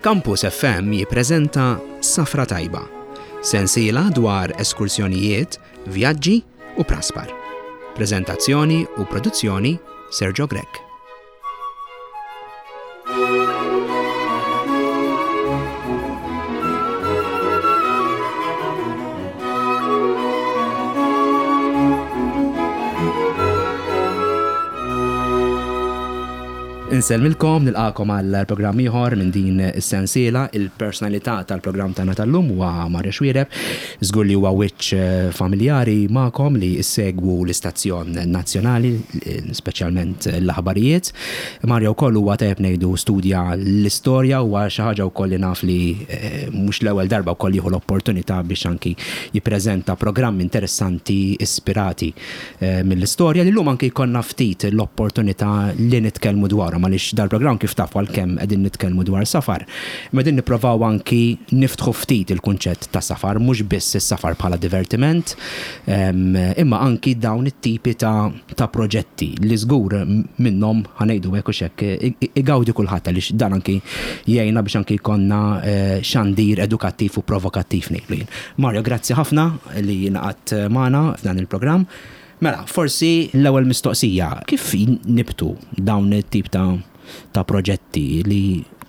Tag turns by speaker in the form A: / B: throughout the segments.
A: Campus FM jippreżenta Safra Tajba, sensiela dwar eskursjonijiet, vjaġġi u praspar. Preżentazzjoni u produzzjoni Sergio Grech. Insellmilkom, nilqakom għal programm ieħor minn din is-sensiela. Il-personalità tal-programm tagħna tal-lum huwa Mario Xuereb. Żgur li huwa wiċċ eh, familjari magħkom li ssegwu l-istazzjon nazzjonali, speċjalment l-aħbarijiet. Mario wkoll huwa tajjeb ngħidu studja l-istorja huwa xi ħaġa wkoll li naf li eh, mhux l-ewwel darba wkoll jieħu l-opportunità biex anki jippreżenta programmi interessanti ispirati mill-istorja li llum anki jkollna ftit l-opportunità li nitkellmu dwarhom għaliex dal-programm kif tafu għalkemm qegħdin nitkellmu dwar safar, imma qegħdin nipprovaw anki niftħu ftit il-kunċett ta' safar, mhux biss is-safar bħala divertiment, imma anki dawn it-tipi ta' ta' proġetti li żgur minnhom ħa ngħidu hekk u x'hekk igawdi kulħadd għaliex dan anki jgħinna biex anki jkollna xandir edukattiv u provokattiv ngħidlu jien. Mario, grazzi ħafna li ingħaqadt magħna f'dan il-programm. Mela, forsi l-ewwel mistoqsija, kif nibtu dawn it-tip ta' ta' proġetti li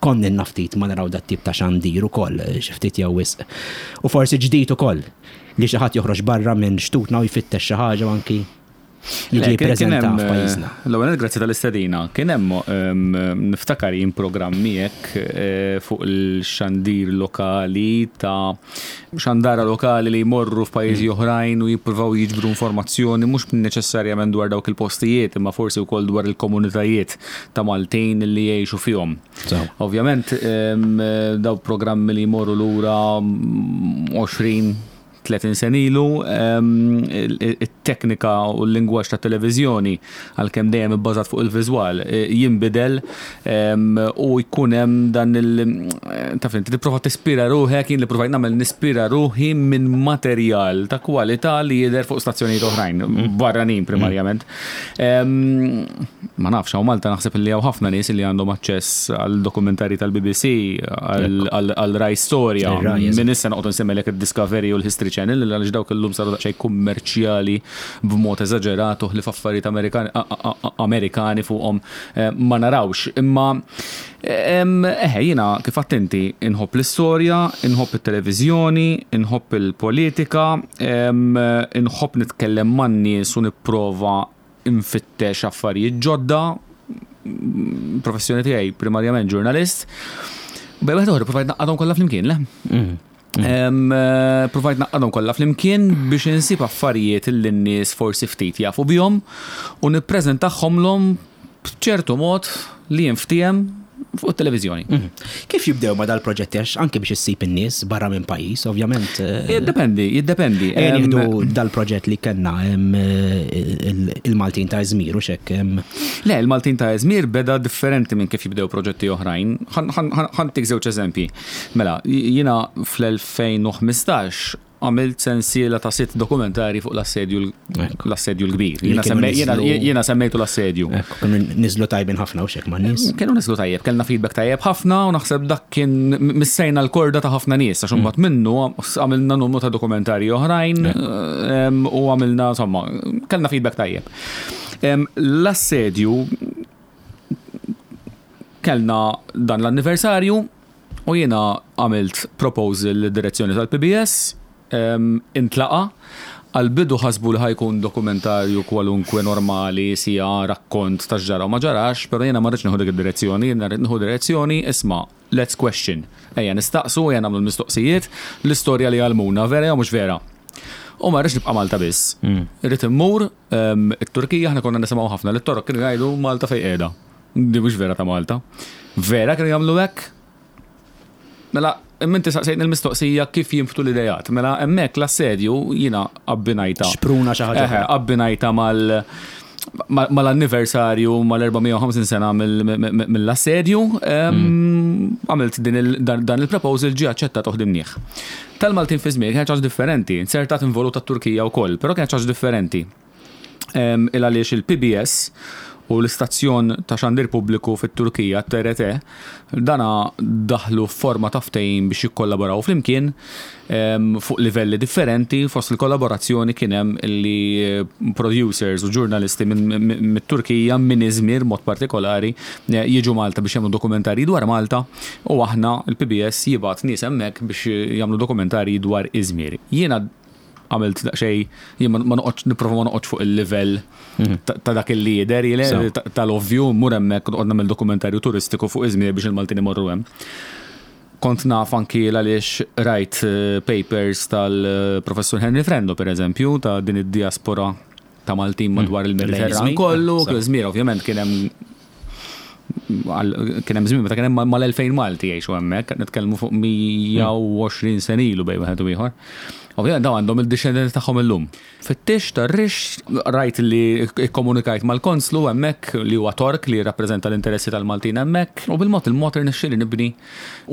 A: konna ilna ftit ma naraw dat-tip ta' xandir ukoll, xi ftit jew wisq. U forsi ġdid ukoll li xi ħadd joħroġ barra minn xtutna u jfittex xi ħaġa u anki jiġi jippreżenta f'pajjiżna.
B: L-ewwel nett grazzi tal-istedina. Kien hemm niftakar jien programm miegħek eh, fuq il-xandir lokali ta' xandara lokali li jmorru f'pajjiżi mm. oħrajn u jippruvaw jiġbru informazzjoni mhux neċessarjament dwar dawk il-postijiet imma forsi wkoll dwar il-komunitajiet ta' Maltin li jgħixu fihom. Ovvjament daw programmi li jmorru lura 20 30 sena ilu, it-teknika u l-lingwaġġ tat-televiżjoni, għalkemm dejjem ibbażat fuq il-viżwal, jinbidel u jkun hemm dan il taf inti tipprova tispira ruħek, jien li provajt nagħmel nispira ruħi minn materjal ta' kwalità li jidher fuq stazzjonijiet oħrajn, barranin primarjament. Ma nafx, hawn Malta naħseb li hawn ħafna nies li għandhom aċċess għal dokumentarji tal-BBC, għal Rai Storja. Minn issa noqgħod nsemmilek id-Discovery u l-History Channel għaliex dawk illum saru daqsxejn kummerċjali b'mod eżaġerat u ħlief affarijiet Amerikani fuqhom eh, ma narawx. Imma eħe jiena kif għedt inti inħobb l-istorja, inħobb it-televiżjoni, inħobb il-politika, inħobb nitkellem man-nies u nipprova nfittex affarijiet ġodda, professjoni tiegħi primarjament ġurnalist. Bej waħda oħra provajt naqqadhom kollha flimkien, le? Mm. Eh, provajt naqqadhom kollha flimkien biex insib affarijiet li n-nies forsi ftit jafu bihom u nippreżentahomlhom b'ċertu mod li jinftiehem fuq it-televiżjoni. Mhm.
A: Kif jibdew ma dal-proġetti għax anke biex issib in-nies barra minn pajjiż, ovvjament.
B: Eh, jiddependi, jiddependi.
A: Ejja nieħdu dal-proġett li kellna eh, il-Maltin ta' Izmir u xek.
B: Le, il-Maltin ta' Izmir beda differenti minn kif jibdew proġetti oħrajn. Ħantik żewġ eżempji. Mela, jiena fl-2015 għamilt sensiela ta' sitt dokumentari fuq l-assedju l-assedju l-kbir. Jiena semmejtu l-assedju.
A: Kienu niżlu tajbin ħafna u xek ma' nies.
B: Kienu niżlu tajjeb, kellna feedback tajjeb ħafna u naħseb dak kien missejna l-korda ta' ħafna nies għax imbagħad mm. minnu għamilna numru ta' dokumentari oħrajn u għamilna insomma, kellna feedback tajjeb. L-assedju kellna dan l-anniversarju U jiena għamilt proposal lid-direzzjoni tal-PBS, intlaqa'. Għall-bidu ħasbu li ħa jkun dokumentarju kwalunkwe normali, siegħa, rakkont ta' x'ġara u ma ġarax, però jiena ma rridx nieħu dik id-direzzjoni, jiena rrid nieħu direzzjoni, isma' let's question. Ejja nistaqsu, ejja nagħmlu l-mistoqsijiet, l-istorja li għallmuna vera jew mhux vera. U ma rridx nibqa' Malta biss. Irrid immur it-Turkija, aħna konna nisimgħu ħafna li t-Torok kienu jgħidu Malta fejn qiegħda. Di mhux vera ta' Malta. Vera kienu jagħmlu hekk? Mela, inti saqsejtni l-mistoqsija kif jinftu l-idejat. Mela, hemmhekk l-assedju jiena abbinajta.
A: Xpruna xi ħaġa.
B: Abbinajta mal mal-anniversarju mal-450 sena mill-assedju, mm. għamilt dan il-proposal ġie aċċettat u ħdimnieh. Tal-Maltin fi żmien kienet ħaġa differenti, insertat involuta t-Turkija wkoll, però kienet ħaġa differenti. Il għaliex il-PBS u l-istazzjon ta' xandir pubbliku fit-Turkija, TRT, dana daħlu f'forma ta' ftehim biex jikkollaboraw flimkien fuq livelli differenti. Fost il-kollaborazzjoni kien hemm li producers u ġurnalisti mit-Turkija, minn Izmir mod partikolari, jiġu Malta biex jagħmlu dokumentarji dwar Malta u aħna l-PBS jibgħat nies hemmhekk biex jagħmlu dokumentarji dwar Izmir. Jiena għamilt daqsxejn, jien ma noqgħodx nipprova ma noqgħodx fuq il-livell ta' dak il-lider, tal-ovvju, mur hemmhekk noqgħod nagħmel dokumentarju turistiku fuq Izmir biex il-Maltin imorru hemm. Kont naf anki għaliex rajt papers tal-professur Henry Frendo, per eżempju, ta' din id-diaspora ta' Maltin madwar il-Mediterran kollu, Izmir ovvjament kien hemm kien hemm żmien meta kien hemm mal-2000 Malti jgħixu hemmhekk, qed nitkellmu fuq 120 sena ilu bejn wieħed u ieħor. Ovvjament dawn għandhom il-dixxendenti tagħhom illum. Fittix tar-rix rajt li kkomunikajt mal-konslu hemmhekk li huwa Tork li jirrappreżenta l-interessi tal-Maltin hemmhekk u bil-mod il-mod irnexxieli nibni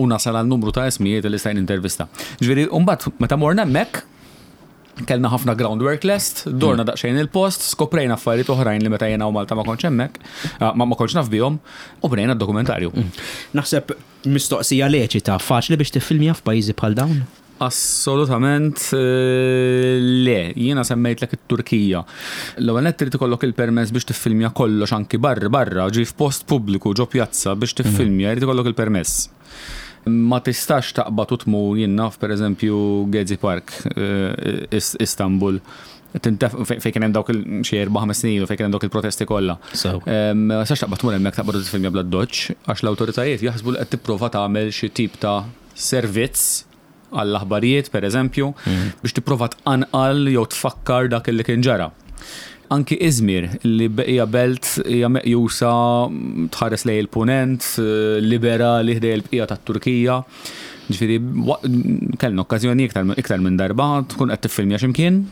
B: u nasal għal numru ta' ismijiet li stajt nintervista. Ġifieri mbagħad meta morna hemmhekk kellna ħafna groundwork lest, dorna daqsxejn il-post, skoprejna affarijiet oħrajn li meta jiena u Malta ma kontx hemmhekk, ma ma kontx naf bihom, u bnejna d-dokumentarju.
A: Naħseb mistoqsija leċita, faċli biex tiffilmja f'pajjiżi bħal dawn?
B: Assolutament le. Jiena semmejtlek it-Turkija. L-ewwel nett irid ikollok il-permess biex tiffilmja kollox anki barra barra, ġi f'post pubbliku ġo pjazza biex tiffilmja jrid ikollok il-permess. Ma tistax taqbad u tmur jien naf pereżempju Gezi Park Istanbul fejn kien hemm dawk xi erba' ħames snin ilu fejn kien hemm dawk il-protesti kollha. Ma tistax taqbad tmur hemmhekk taqbad u tiffilmja bl-addoċċ għax l-awtoritajiet jaħsbu li qed tipprova tagħmel xi tip ta' servizz għall-aħbarijiet, per eżempju, biex tipprova tqanqal jew tfakkar dak li kien ġara. Anki Izmir, li hija belt hija meqjusa tħares lejn il-punent, liberali ħdej il-bqija tat-Turkija. Ġifieri, kellna okkażjoni iktar minn darba tkun qed tiffilmja x'imkien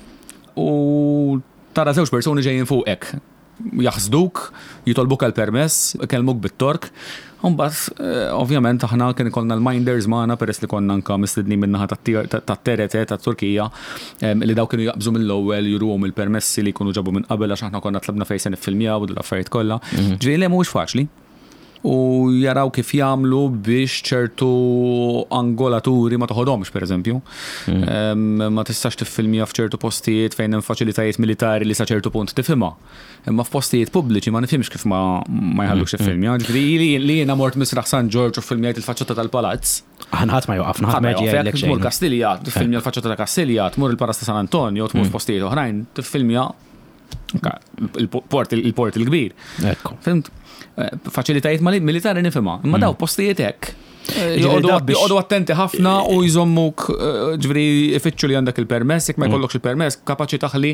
B: u tara żewġ persuni ġejjin fuqek. Jaħsduk, jitolbuk għal permess, ikellmuk bit-Tork. U mbagħad, ovvjament, aħna kien ikollna l-minders magħna peress li konna anke mistednin min-naħa tat-TRT tat-Turkija, li dawk kienu jaqbżu mill-ewwel juruhom il-permessi li jkunu ġabu minn qabel għax aħna konna tlabna fejn se niffilmjaw u dawn l-affarijiet kollha. Ġifieri le mhuwiex faċli. U jaraw kif jagħmlu biex ċertu angolaturi ma toħodhomx, pereżempju. Ma tistax tiffilmja f'ċertu postijiet fejn hemm faċilitajiet militari li sa ċertu punt tifhimha. Imma f'postijiet pubbliċi ma nifhimx kif ma jħallukx tiffilmja. Ġifieri li jiena mort Misraħ San Ġorġ u ffilmjajt il-faċċata tal-palazz.
A: Aħna ħadd ma joqafna, ħadd ma jiġi jgħidlek xejn.
B: Tmur Kastilja, tiffilmja l-faċċata ta' Kastilja, tmur il-Palazz ta' San Antonio, tmur f'postijiet oħrajn, tiffilmja Il-port il-port il-kbir.
A: Ekku.
B: Fimt? Eh, faċilitajiet militari nifhimha, imma daw postijiet hekk. Eh, joqogħdu attenti ħafna u jżommuk eh, ġifieri ifittxu li għandek il-permess, jekk ma mm. jkollokx il-permess, kapaċi taħli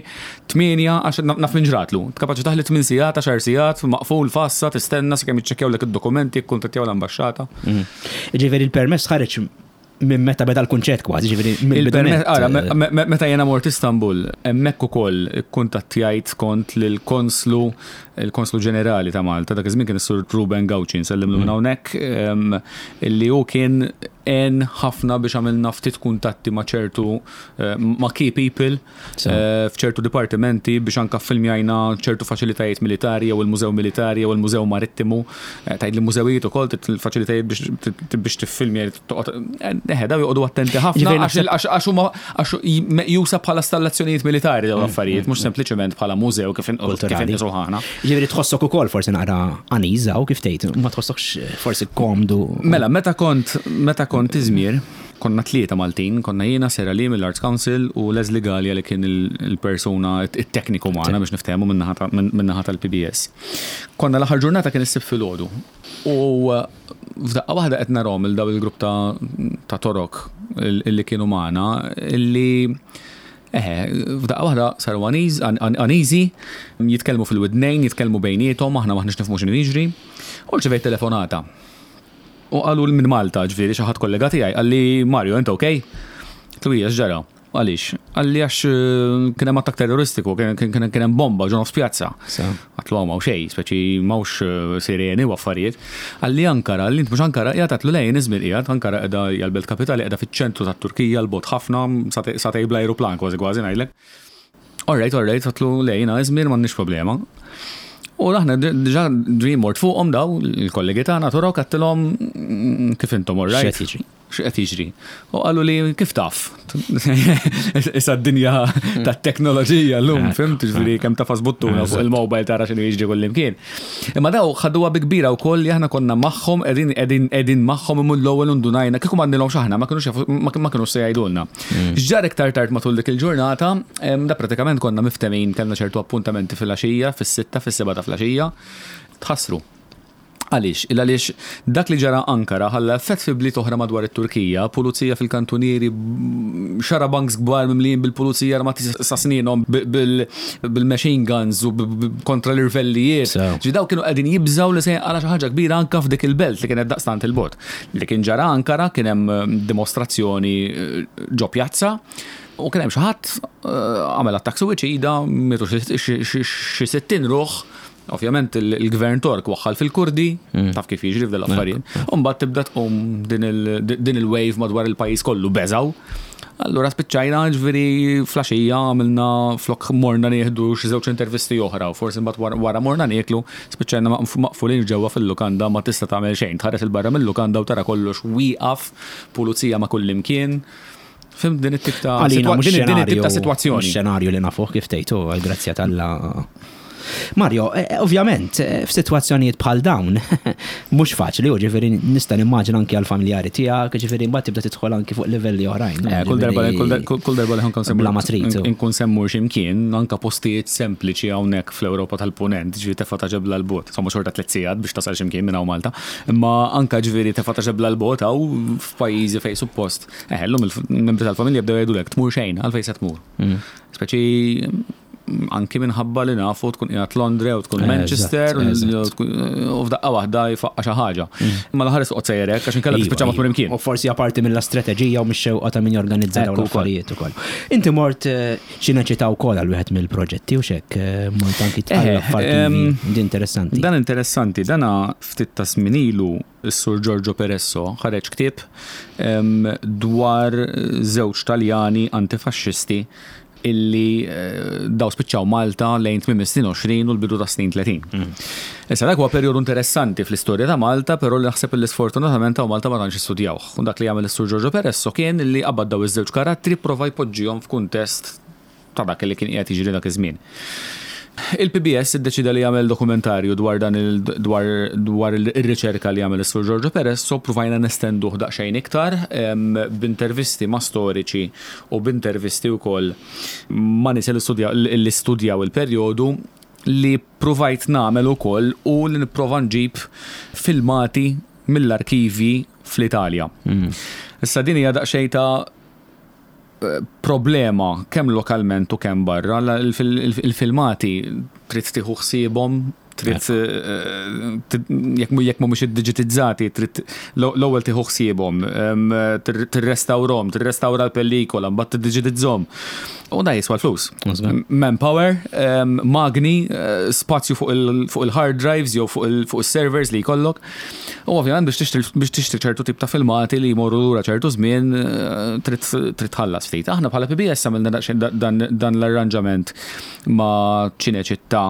B: 8 għax naf minn ġratlu, kapaċi taħli 8 sigħat, 10 sigħat, maqful fassa, tistenna sakemm jiċċekkjaw lek id-dokumenti, jikkuntattjaw l-ambaxxata.
A: Mm. Ġifieri il-permess ħareġ minn meta beda l-kunċett kważi, ġifieri mill-bidu.
B: Ara, meta jiena mort Istanbul, hemmhekk ukoll ikkuntattjajt kont lill-konslu, il-konslu ġenerali ta' Malta, dak iż-żmien kien is-Sur Ruben Gauci, nsellimlu minn mm. hawnhekk, illi hu kien għen ħafna biex għamilna ftit kuntatti ma' ċertu eh, ma' key people Eh, f'ċertu dipartimenti biex anka filmjajna ċertu faċilitajiet militari jew il-Mużew Militari jew il-Mużew Marittimu. Eh, tgħid li mużewijiet ukoll il-faċilitajiet biex tiffilmja toqgħod eh, daw joqogħdu attenti ħafna għax huma għax meqjusa bħala stallazzjonijiet militari dawn mm, l-affarijiet, mm, mhux mm. sempliċement bħala mużew kif inqisu ħana.
A: Ġifieri tħossok ukoll forsi naqra aniża u kif tgħid, ma tħossokx forsi komdu.
B: Mela, meta kont meta kont iżmir, Konna tlieta Maltin, konna jiena, Sarah Lee mill-Arts Council u Leslie Galea li kien il-persuna, it-tekniku magħna biex niftehmu min-naħa tal-PBS. Konna l-aħħar ġurnata kien is-Sibt filgħodu u f'daqqa waħda qed narahom lil dawn il-grupp ta' Torok li kienu magħna li eħe, f'daqqa waħda saru uneasy, jitkellmu fil-widnejn, jitkellmu bejniethom, aħna m'aħniex nifhmu x'inhu jiġri. U rċevejt telefonata. U qalu minn Malta, ġifieri xi ħadd kollega tiegħi, qalli Mario, int ok? Għedtlu ija x'ġara? Għaliex? Qalli għax eh, kien hemm attakk terroristiku, kien hemm bomba ġo nofs pjazza. Għedtlu hawn m'hawn xejn, speċi m'hawnx eh, sireni u affarijiet. Qalli Ankara, qalli int mhux Ankara qiegħed għedtlu le jien Izmir qiegħed, Ankara qiegħda hija l-belt kapitali qiegħda fiċ-ċentru tat-Turkija 'l bogħod ħafna, sagħtejn bl-ajruplan kważi kważi ngħidlek. All right, all right, għedtlu le jiena Izmir m'għandniex problema. U aħna diġà ġie mort fuqhom daw il-kollegi tagħna Torok għedtilhom kif intom all right?
A: X'qed jiġri?
B: X'qed jiġri? U qalu li kif taf? Issa d-dinja tat-teknoloġija llum, fhimt, ġifieri kemm tafas buttuna fuq il-mobile tara x'inhu jiġri kullimkien. Imma daw ħaduha bi kbira wkoll li aħna konna magħhom qegħdin qegħdin qegħdin magħhom imma l-ewwel indunajna kieku m'għandilhomx aħna ma kinux jafu ma kinux se jgħidulna. X'ġara iktar tard matul dik il-ġurnata, da pratikament konna miftemin kellna ċertu appuntamenti filgħaxija, fis-sitta, fis-sebgħa ta' filgħaxija, tħassru. Għaliex? Il għaliex dak li ġara Ankara ħalla effett fi bliet oħra madwar it-Turkija, pulizija fil-kantunieri, xarabanks kbar mimlijin bil-pulizija armati sa snienhom bil-machine guns u kontra l-irvellijiet. Ġifieri dawn kienu qegħdin jibżgħu li se jinqala' xi ħaġa kbira anke f'dik il-belt li kienet daqstant 'il bogħod. Li kien ġara Ankara kien hemm dimostrazzjoni ġo pjazza u kien hemm xi ħadd għamel attakk suwiċida, mietu xi 60 ruħ. Ovvjament il-gvern Tork waħħal fil-Kurdi, taf kif jiġri f'del affarijiet. U mbagħad tibda tqum din il-wave madwar il-pajjiż kollu beżaw. Allura spiċċajna ġifieri flaxija għamilna flok morna nieħdu xi żewġ intervisti oħra u forsi mbagħad wara morna nieklu, spiċċajna maqfulin ġewwa fil-lukanda ma tista' tagħmel xejn. Tħares 'il barra mil-lukanda u tara kollox wieqaf, pulizija ma' kullimkien. Fhimt din it-tip ta' din it-tip ta' sitwazzjoni.
A: Xenarju li nafuh kif tgħid hu, għall-grazzja t'Alla. Mario, ovvjament, f'sitwazzjonijiet bħal dawn, mhux faċli, u ġifieri nista' nimmaġina anki għall-familjari tiegħek, ġifieri mbagħad tibda tidħol anki fuq livelli oħrajn.
B: Kull darba kull darba li nkun
A: semmur Bla ma trid.
B: Inkun semmur x'imkien, anke postijiet sempliċi hawnhekk fl-Ewropa tal-Punent, ġifieri tefa' ta' ġebla 'l bogħod, insomma xorta tliet sigħat biex tasal x'imkien minn hawn Malta, imma anke ġifieri tefa' ta' ġebla 'l bogħod hawn f'pajjiżi fejn suppost Eħe, llum il-membri tal-familja bdew jgħidulek tmur xejn, għalfejn se tmur. Speċi anki minħabba li nafu tkun qiegħed Londra u tkun Manchester u f'daqqa waħda jfaqqa xi ħaġa. Imma l-aħħar toqgħod sejjerek għax inkella iva, tispiċċa ma tmur imkien.
A: U forsi apparti mill-istrateġija u mix-xewqa ta' min jorganizza dawn l-affarijiet ukoll. Inti mort eh, Ċineċità wkoll għal wieħed mill-proġetti u xek eh, mort anki tqallab f'arkivi. Din interessanti.
B: Dan interessanti, dana ftit ta' żmien ilu Is-Sur Giorgio Peresso ħareġ ktieb dwar żewġ Taljani antifaxxisti illi daw spiċċaw Malta lejn tmiem is-snin 20 u l-bidu tas-snin 30. Issa dak huwa perjodu interessanti fl-istorja ta' Malta, però li naħseb illi sfortunatament hawn Malta ma tantx istudjawh. U dak li għamel is-Sur Giorgio Peresso kien illi qabad daw iż-żewġ karattri pprova jpoġġihom f'kuntest ta' dak li kien qiegħed jiġri dak iż-żmien. Il-PBS iddeċieda li jagħmel dokumentarju dwar dan il dwar dwar ir-riċerka li għamel is-Sur Giorgio Perez, so ppruvajna nestenduh daqsxejn iktar b'intervisti ma' storiċi u b'intervisti wkoll ma' nies li studjaw li studjaw il-perjodu li ppruvajt nagħmel ukoll hu li nipprova nġib filmati mill-arkivji fl-Italja. Issa din hija daqsxejn ta' problema kemm lokalment u kemm barra, il-filmati trid tieħu ħsiebhom, trid jekk mhumiex iddiġitizzati, trid l-ewwel tieħu ħsiebhom, tirrestawrhom, tirrestawra l-pellikola, mbagħad tiddiġitizzhom. U da jiswa l-flus. Manpower, magni, spazju fuq il-hard drives jew fuq il-servers li jkollok. U ovvjament biex tixtri biex tixtri ċertu tip ta' filmati li jmorru lura ċertu żmien trid trid tħallas ftit. Aħna bħala PBS għamilna daqsxejn dan dan l-arranġament ma' Ċineċittà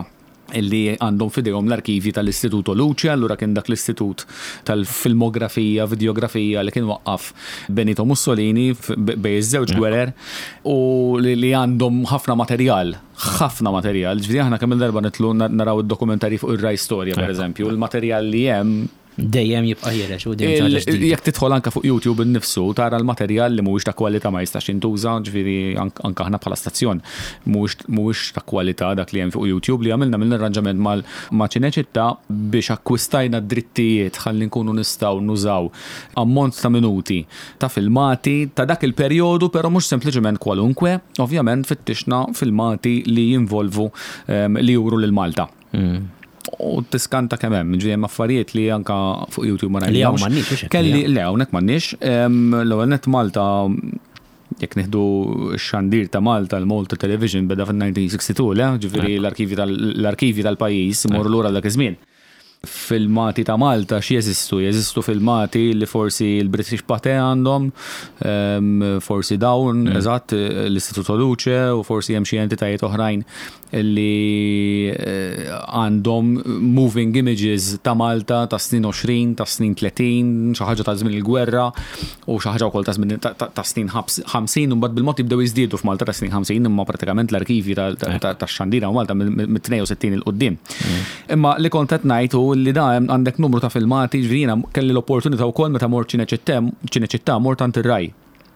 B: illi għandhom f'idejhom l-arkivji tal-Istituto Luce, allura kien dak l-istitut tal-filmografija, videografija li kien waqqaf Benito Mussolini bejn iż-żewġ gwerer u li għandhom ħafna materjal ħafna materjal, ġifieri aħna kemm il-darba nitlu naraw id-dokumentarji fuq ir-Rai Storja pereżempju, il-materjal li hemm
A: Dejjem jibqa' ħiereġ u dejjem xi ħaġa ġdida.
B: Jekk tidħol anke fuq YouTube innifsu tara l-materjal li mhuwiex ta' kwalità ma jistax jintuża, ġifieri anke aħna bħala stazzjon mhuwiex ta' kwalità dak li hemm fuq YouTube li għamilna għamilna arranġament ma' Ċineċittà biex akkwistajna d-drittijiet ħalli nkunu nistgħu nużaw ammont ta' minuti ta' filmati ta' dak il-perjodu però mhux sempliċement kwalunkwe, ovvjament fittixna filmati li jinvolvu li juru lil Malta. U tiskanta kemm hemm, ġifieri hemm affarijiet li anka fuq YouTube ma
A: rajnihomx. Li hawn m'għandniex,
B: hux hekk? Kelli, le hawnhekk m'għandniex. L-ewwel nett Malta jekk nieħdu x-xandir ta' Malta, l-Malta Television beda fin-1962, le? Ġifieri l-arkivji tal-pajjiż imorru lura dak iż-żmien. Filmati ta' Malta x'jeżistu? Jeżistu filmati li forsi l-British Pathé għandhom, forsi dawn, eżatt, l-Istituto Luce u forsi hemm xi entitajiet oħrajn li għandhom moving images ta' Malta ta' snin 20, ta' snin 30, xi ħaġa ta' żmien il-gwerra u xi ħaġa wkoll ta' żmien ta' snin 50 u mbagħad bil-mod jibdew jiżdiedu f'Malta ta' snin 50 imma pratikament l-arkivji tax-xandira u Malta mit-62 'il quddiem. Imma li kont qed ngħid hu li da għandek numru ta' filmati, ġifieri jiena kelli l-opportunità wkoll meta mort Ċineċittà mort għand ir-Rai.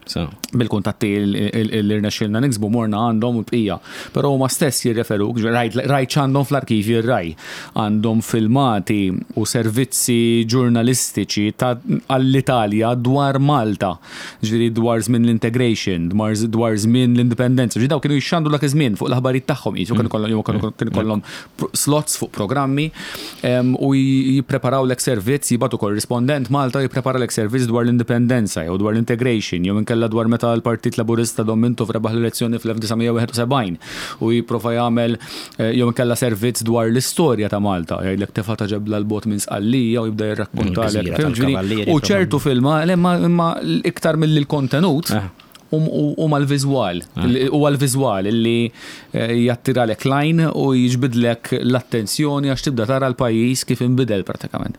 B: Bil-kuntatti li rnexxielna niksbu morna għandhom u l-bqija. Però huma stess jirreferuk, rajt x'għandhom fl-arkivji r-Rai. Għandhom filmati u servizzi ġurnalistiċi għall-Italja dwar Malta. Ġifieri dwar żmien l-integration, dwar żmien l-indipendenza. Ġifieri dawn kienu jixxandru dak iż-żmien fuq l-aħbarijiet tagħhom qisu kienu jkollhom slots fuq programmi u jippreparawlek servizz, jibgħatu korrispondent Malta u jippreparalek servizz dwar l-indipendenza jew dwar l-integration jew inkella dwar meta l-Partit Laburista Dom Mintoff rebaħ l-elezzjoni fl-1971 u jipprova jagħmel jew inkella servizz dwar l-istorja ta' Malta, jgħidlek tefa' ta' ġebla 'l bogħod minn Sqallija u jibda jirrakkontalek. U ċertu filma, imma iktar milli l-kontenut, huma l-viżwal. Huwa l-viżwal li jattiralek l-għajn u jiġbidlek l-attenzjoni għax tibda tara l-pajjiż kif inbidel pratikament.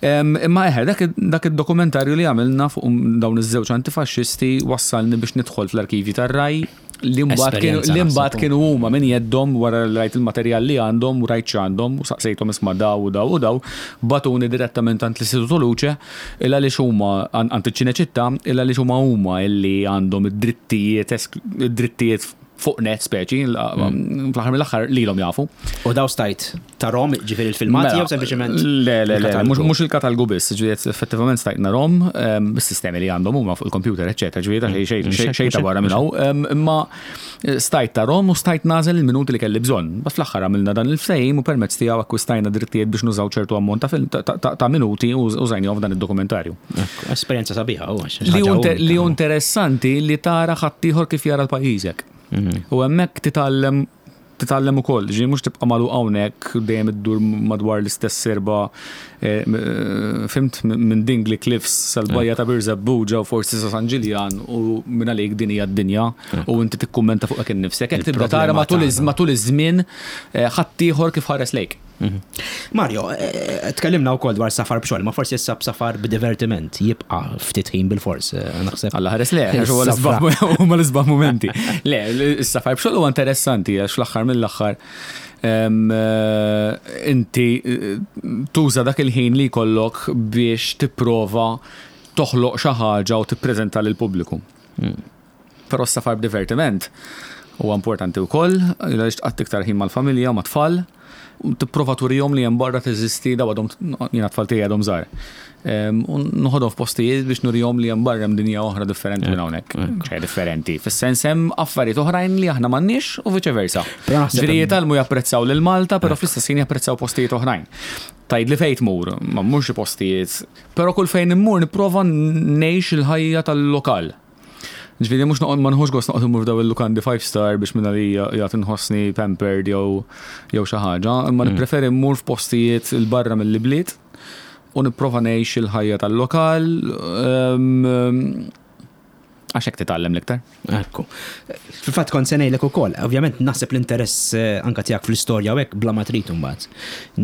B: Imma eħe, dak id-dokumentarju li għamilna fuq dawn iż-żewġ antifaxxisti wassalni biex nidħol fl-arkivji tar-Rai li mbagħad kienu li mbagħad kienu huma minn jeddhom wara li rajt il-materjal li għandhom u rajt x'għandhom u saqsejthom isma' daw u daw u daw, bagħtuni direttament għand l-Istituto Luce il għaliex huma għand iċ-Ċineċittà il għaliex huma huma illi għandhom id-drittijiet id-drittijiet fuq net speċi, fl-aħħar mill-aħħar lilhom jafu.
A: U daw stajt tarahom, ġifieri l-filmati jew sempliċement?
B: Le, le, le, mhux il-katalgu biss, ġifieri effettivament stajt narhom bis-sistemi li għandhom huma fuq il-computer, eċċetera, ġifieri ta' xejn xejn ta' barra minn hawn, imma stajt tarhom u stajt nagħżel il-minuti li kelli bżonn. Bas fl-aħħar għamilna dan il-ftehim u permezz tiegħu akkwistajna drittijiet biex nużaw ċertu ammont ta' minuti u użajnihom f'dan id-dokumentarju.
A: Esperjenza sabiħa, u
B: Li hu interessanti li tara ħaddieħor kif jara l-pajjiżek. U hemmhekk titgħallem titgħallem ukoll, ġifieri mhux tibqa' magħluq hawnhekk dejjem iddur madwar l-istess serba eh, fimt minn Dingley Cliffs sal-bajja ta' Birżebbuġa u forsi sa San Ġiljan u minn għalik din hija d-dinja u inti tikkummenta fuqek innifsek. Hekk tibda tara matul iż-żmien eh, ħaddieħor kif ħares lejk.
A: Mhm. Mario, eh, eh, tkellimna wkoll dwar safar b'xogħol, ma forsi issa b'safar b'divertiment jibqa' ftit ħin bil-fors, eh, naħseb.
B: Alla ħares le, għax huwa l-isbaħ momenti. Le, is-safar b'xogħol huwa interessanti għax fl-aħħar mill-aħħar inti tuża dak il-ħin li jkollok biex tipprova toħloq xi ħaġa u tippreżenta lill-pubbliku. Hmm. Però s-safar b'divertiment huwa importanti wkoll, għaliex tqatt iktar ħin mal-familja, mat-tfal, tipprova turihom li hemm barra teżisti daw għadhom jiena tfal tiegħi għadhom żgħar. U noħodhom f'postijiet biex nurihom li hemm barra hemm dinja oħra differenti minn hawnhekk. Ċe differenti. Fis-sens hemm affarijiet oħrajn li aħna m'għandniex u viċe versa. Ġifieri jitgħallmu japprezzaw lil Malta, però fl-istess ħin japprezzaw postijiet oħrajn. Tgħidli fejn tmur, ma mmurx xi postijiet, però kull fejn immur nipprova ngħix il-ħajja tal-lokal. Ġifieri mhux noqgħod ma nħux gost noqgħod immur f'daw il-lukandi five star biex minn għalija jagħti nħossni pampered jew jew xi ħaġa, imma mm. nippreferi mmur f'postijiet il barra mill-ibliet u nipprova ngħix il-ħajja tal-lokal ehm, għax hekk titgħallem l-iktar.
A: Ekku. Fil-fatt kont se ngħidlek ukoll, ovvjament naħseb l-interess eh, anka tiegħek fl-istorja u hekk bla ma trid imbagħad.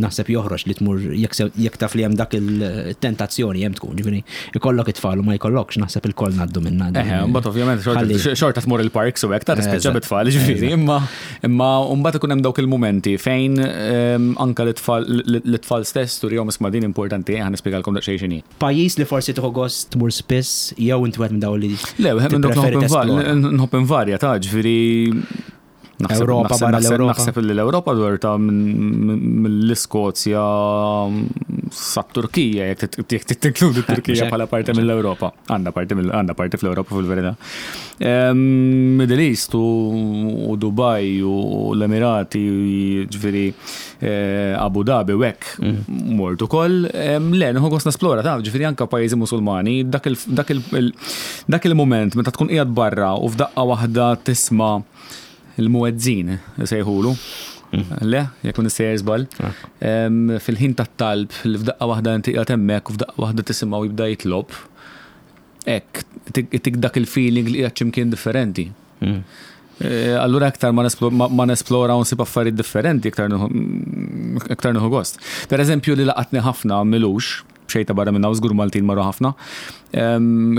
A: Naħseb joħroġ li tmur jekk taf li hemm dak il-tentazzjoni hemm tkun, ġifieri ikollok it-tfal u ma jkollokx naħseb ilkoll ngħaddu minnha.
B: Eħe, mbagħad ovvjament xorta tmur il-parks u hekk ta' tispiċċa bit-tfal, ġifieri, imma imma mbagħad ikun hemm dawk il-mumenti fejn ehm, anka l-tfal stess turihom isma' din importanti ħa nispjegalkom daqsxejn x'inhi.
A: Pajjiż li forsi tieħu gost tmur spiss jew inti wieħed minn dawn li
B: Le, wieħed minn dawk nħobb invarja ta' ġifieri
A: Ewropa barra l-Ewropa.
B: Naħseb li l-Ewropa dwar ta' mill-Iskozja sa Turkija, jekk tinkludi Turkija bħala parti mill-Ewropa. Għandna parti għandna parti fl-Ewropa fil-verità. Middle East u Dubai u l-Emirati, ġifieri eh, Abu Dhabi u hekk mm. mort ukoll. Le, nieħu gost nesplora ta' ġifieri anke pajjiżi Musulmani, dak il-mument meta tkun qiegħed barra u f'daqqa waħda tisma' il-muezzin sejħulu. Le, jekk m'iniex sejjer żball. Fil-ħin tat-talb li f'daqqa waħda inti qiegħed hemmhekk u f'daqqa waħda tisimgħu jibda jitlob. Hekk, itik dak il-feeling li qiegħed x'imkien differenti. Allura aktar ma nesplora u nsib affarijiet differenti, iktar nieħu gost. Per eżempju li laqatni ħafna m'ilux, b'xejn ta' barra minn hawn żgur Maltin marru ħafna.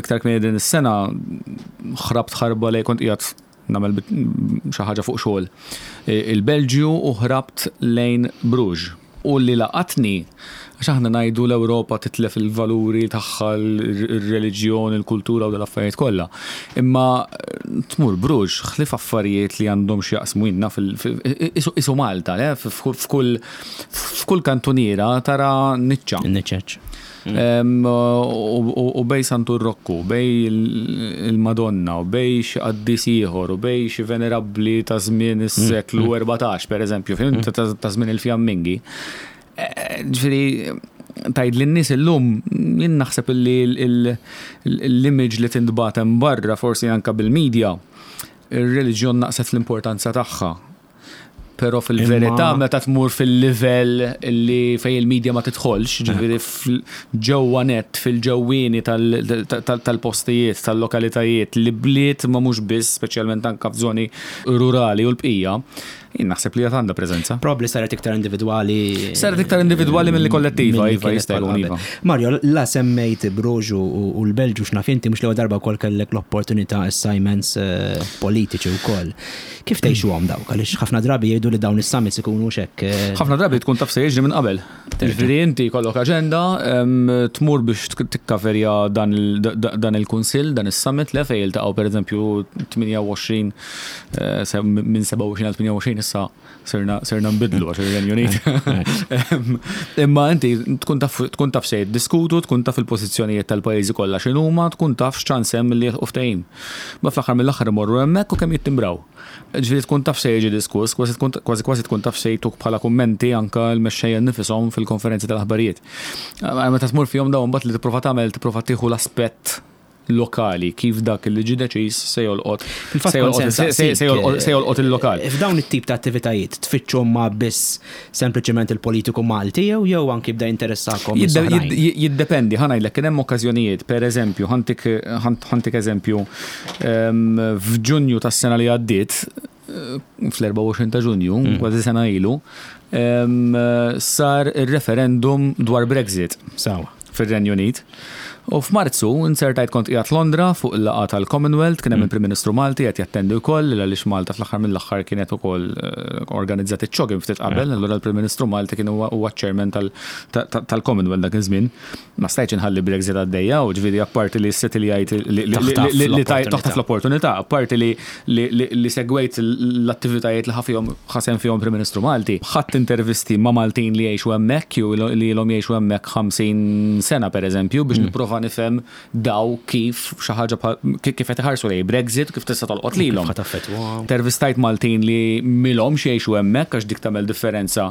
B: Iktar kmieni din is-sena ħrabt ħarba lejn kont qiegħed nagħmel xi ħaġa fuq xogħol il-Belġju u ħrabt lejn Bruges. U li laqatni, għax aħna ngħidu l-Ewropa titlef il-valuri tagħha, ir-reliġjon, il-kultura u dal-affarijiet kollha. Imma tmur Bruges, ħlief affarijiet li għandhom x'jaqsmu jien naf isu Malta, le? F'kull kantuniera tara niċċa.
A: Niċċeċ.
B: U bej Santu Rokku, bej il-Madonna, u bej xi qaddis ieħor, u bej xi venerabbli ta' żmien is-seklu 14, per eżempju, ta' żmien il-Fjammingi. Ġifieri, tgħid lin-nies illum, jien naħseb li l-image li tintbagħat hemm barra, forsi anke bil-media, ir-reliġjon naqset fl-importanza tagħha. Però fil-verità meta tmur fil-livell li fejn il-media ma tidħolx, ġifieri ġewwa net fil-ġewwieni tal-postijiet, tal-lokalitajiet, li bliet ma mhux biss, speċjalment anke f'żoni rurali u l-bqija, jien naħseb li għad għandha preżenza.
A: Probabbli saret iktar individwali.
B: Saret iktar individwali milli kollettiva, iva, jista' jkun iva.
A: Mario, la semmejt Bruges u l-Belġu x'naf inti mhux l-ewwel darba wkoll kellek l-opportunità assignments politiċi wkoll. Kif tgħixuhom dawk? Għaliex ħafna drabi jgħidu li dawn is-summits ikunu x'hekk.
B: Ħafna drabi tkun taf se jiġri minn qabel. Ġifieri inti jkollok aġenda, tmur biex tikkaverja dan il-kunsill, dan is-summit le fejn jiltaqgħu pereżempju 28 minn 27 għal 28 issa sirna sirna nbidlu għax ir-Renju Unit. Imma inti tkun taf tkun taf se jiddiskutu, tkun taf il-pożizzjonijiet tal-pajjiżi kollha x'inhuma, tkun taf x'ċans hemm li jilħqu ftehim. Ma fl-aħħar mill-aħħar imorru hemmhekk u kemm jittimbraw. Ġifieri tkun taf se jiġi diskuss, kważi tkun kważi kważi tkun taf se jtuk bħala kummenti anke l-mexxejja nnifishom fil-konferenzi tal-aħbarijiet. Meta tmur fihom dawn mbagħad li tipprova tagħmel tipprova tieħu l-aspett lokali kif dak li ġie deċiż se jolqot se jolqot il-lokal.
A: F'dawn it-tip ta' attivitajiet tfittxu ma biss sempliċement il-politiku Malti jew jew anki bda jinteressakom
B: Jiddependi, ħa ngħidlek kien hemm okkażjonijiet, per eżempju, ħantik eżempju, f'Ġunju tas-sena li għaddiet, fl-24 ta' Ġunju, kważi sena ilu, sar ir-referendum dwar Brexit.
A: Sawa.
B: Fir-Renju Unit. U f'Marzu insertajt kont qiegħed Londra fuq il-laqgħa tal-Commonwealth, kien hemm il-Prim Ministru Malti qed jattendi wkoll, għaliex Malta fl-aħħar mill-aħħar kienet ukoll organizzat iċ-CHOGM ftit qabel, allura l-Prim Ministru Malti kien huwa ċ-chairman tal-Commonwealth dak iż-żmien. Ma stajtx inħalli Brexit għaddejja, u ġifieri apparti li s-settiljajt li taħtaf l-opportunità, apparti li segwejt l-attivitajiet li ħa fihom ħa sehem fihom Prim Ministru Malti. Ħadt intervisti ma' Maltin li jgħixu hemmhekk jew li ilhom jgħixu hemmhekk 50 sena pereżempju biex nipprova nifhem daw kif xi ħaġa bħal kif qed iħarsu lejn Brexit u kif tista' tolqot lilhom. Intervistajt Maltin li m'ilhomx jgħixu hemmhekk għax dik tagħmel differenza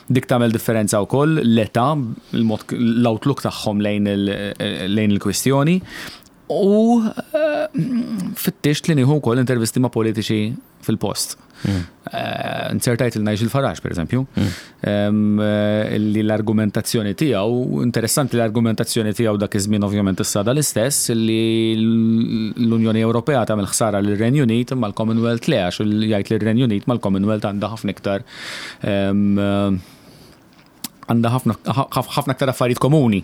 B: dik tagħmel differenza wkoll l-età, il-mod l-outlook tagħhom lejn il-kwistjoni. U fittixt li nieħu wkoll intervisti ma' politiċi fil-post. Inzertajt il Nigel Farage, per eżempju, li l-argumentazzjoni tiegħu, interessanti l-argumentazzjoni tiegħu dak iż-żmien ovvjament issa l-istess, li l-Unjoni Ewropea tagħmel ħsara lir-Renju Unit imma l-Commonwealth le għax jgħid li r-Renju Unit mal-Commonwealth għandha ħafna iktar għandha ħafna aktar affarijiet komuni.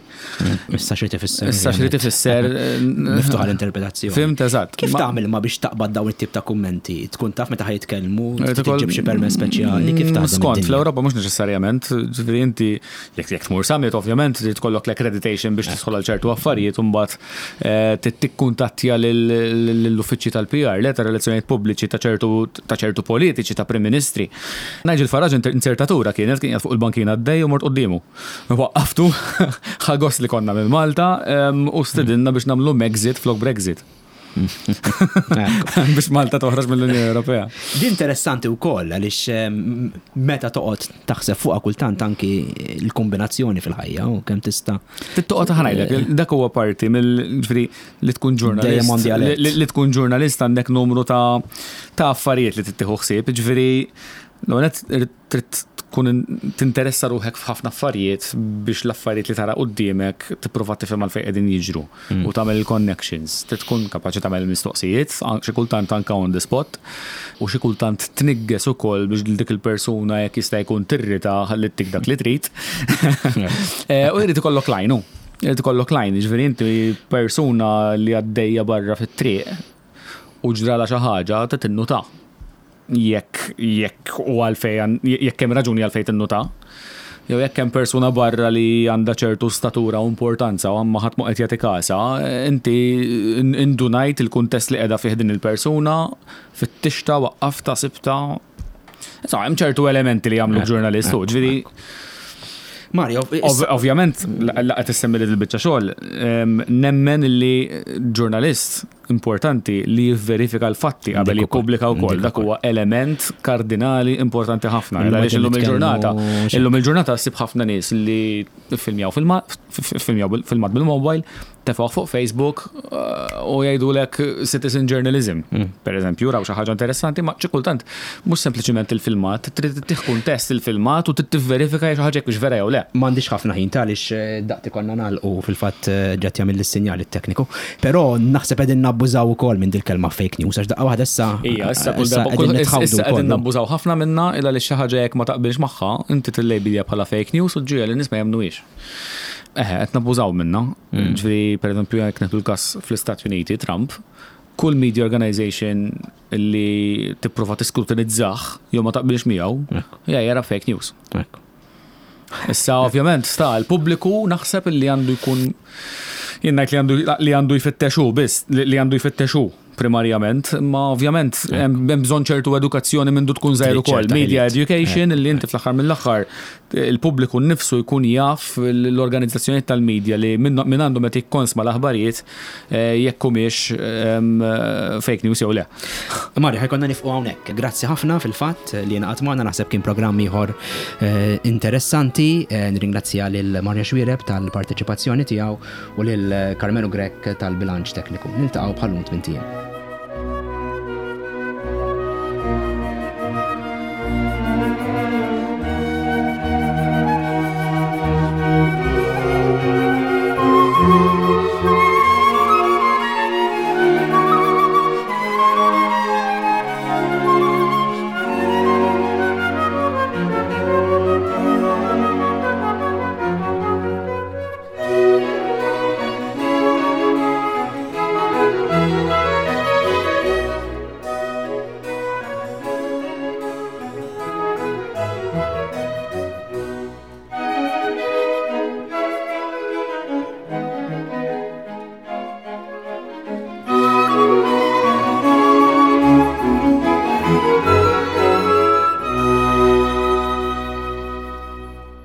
A: Issa xi tifisser.
B: Issa xi tifisser.
A: Miftuħa l-interpretazzjoni.
B: Fimt eżatt.
A: Kif tagħmel ma biex taqbad dawn it-tip ta' kummenti? Tkun taf meta ħajtkellmu, tġib xi permess speċjali, kif taħdem?
B: Skont, fl-Ewropa mhux neċessarjament, ġifieri inti jekk jekk tmur summit ovvjament trid tkollok l-accreditation biex tidħol għal ċertu affarijiet u mbagħad eh, tikkuntattja lill-uffiċċji tal-PR, le ta' relazzjonijiet pubbliċi ta' ċertu ta' ċertu politiċi, ta' Prim Ministri. Nigel Farage inzertatura kienet kien fuq il-bankina għaddej u mort quddiemu. Waqqaftu, ħa gost li konna minn Malta u stedinna biex nagħmlu Megxit flok Brexit. Biex Malta toħroġ mill-Unjoni Ewropea.
A: Di interessanti wkoll għaliex meta toqgħod taħseb fuqha kultant anki l-kombinazzjoni fil-ħajja u kemm tista'
B: Toqgħod ħanajlek, dak huwa parti mill li tkun ġurnalist. Li tkun ġurnalist għandek numru ta' ta' affarijiet li tittieħu ħsieb, ġifieri L-għonet trid tkun tinteressa ruħek f'ħafna affarijiet biex l-affarijiet li tara quddiemek tipprova tifhem għalfejn qegħdin jiġru u tagħmel il-connections. Trid tkun kapaċi tagħmel il-mistoqsijiet, xi kultant anke on the spot, u xi kultant tnigges ukoll biex dik il-persuna jekk jista' jkun tirrita ħalli ttik dak li trid. Eh, u jrid ikollok lajnu. Jrid ikollok lajn, jiġifieri inti persuna li għaddejja barra fit-triq u ġrala xi ħaġa trid tinnuta. Jekk jekk u għalfejn jekk hemm raġuni għalfejn tinnuta. Jew jekk hemm persuna barra li għandha ċertu statura u importanza u ma ħadd ma qed jagħti kasha, inti indunajt il-kuntest li qiegħda fih din il-persuna, fittixtha, waqqaftha, sibtha. Insomma, hemm ċertu elementi li jagħmluk ġurnalist, ġifieri
A: Mario,
B: ovvjament, laqgħet issemmi li l-biċċa xogħol, nemmen li ġurnalist importanti li jivverifika l-fatti qabel jippubblika wkoll. Dak huwa element kardinali importanti ħafna. Għaliex illum il-ġurnata, illum il-ġurnata ssib ħafna nies li filmjaw filmat bil-mobile, tefgħu fuq Facebook eh, u jgħidulek citizen journalism. Mm. Per eżempju, raw xi ħaġa interessanti, ma xi kultant mhux sempliċiment il-filmat, trid tieħ kuntest il-filmat u trid tivverifika xi ħaġa jekk vera jew le.
A: M'għandix ħafna ħin għaliex eh, daqt ikollna nagħlqu fil-fatt eh, ġed jagħmel is-sinjal it-tekniku. Però naħseb qegħdin nabbużaw ukoll minn dil-kelma fake news għax daqqa waħda issa.
B: Ija, issa kull darba issa qegħdin nabbużaw ħafna minna illa li xi ħaġa jekk ma taqbilx magħha, inti tillejbilja bħala fake news u ġġiegħel in-nies ma jemmnuhiex. Eħe, qed nabbużaw minna. Mm. Ġifieri, pereżempju, jekk nieħdu l-każ fl-Istati Uniti, Trump, kull media organization li tipprova tiskrutinizzah jew ma taqbilx miegħu, ja jara fake news. Issa ovvjament sta l-pubbliku naħseb li għandu jkun jien ngħid li għandu li għandu jfittexu biss li għandu jfittexu primarjament, ma ovvjament hemm bżonn ċertu edukazzjoni minn tkun żgħir ukoll. Media education li inti fl-aħħar mill-aħħar il-pubbliku nnifsu jkun jaf l-organizzazzjonijiet tal-media li minn għandhom qed jikkonsma l-aħbarijiet eh, jekk humiex ehm, fake news jew le.
A: Mari, ħa jkollna nieqfu hawnhekk. Grazzi ħafna fil-fatt li ngħaqadt magħna naħseb kien programm ieħor eh, interessanti. Eh, nirringrazzja lil Mario Xuereb tal-parteċipazzjoni tiegħu u lil Carmelo Grech tal-bilanċ tekniku. Niltaqgħu bħal-lum tmint ijiem.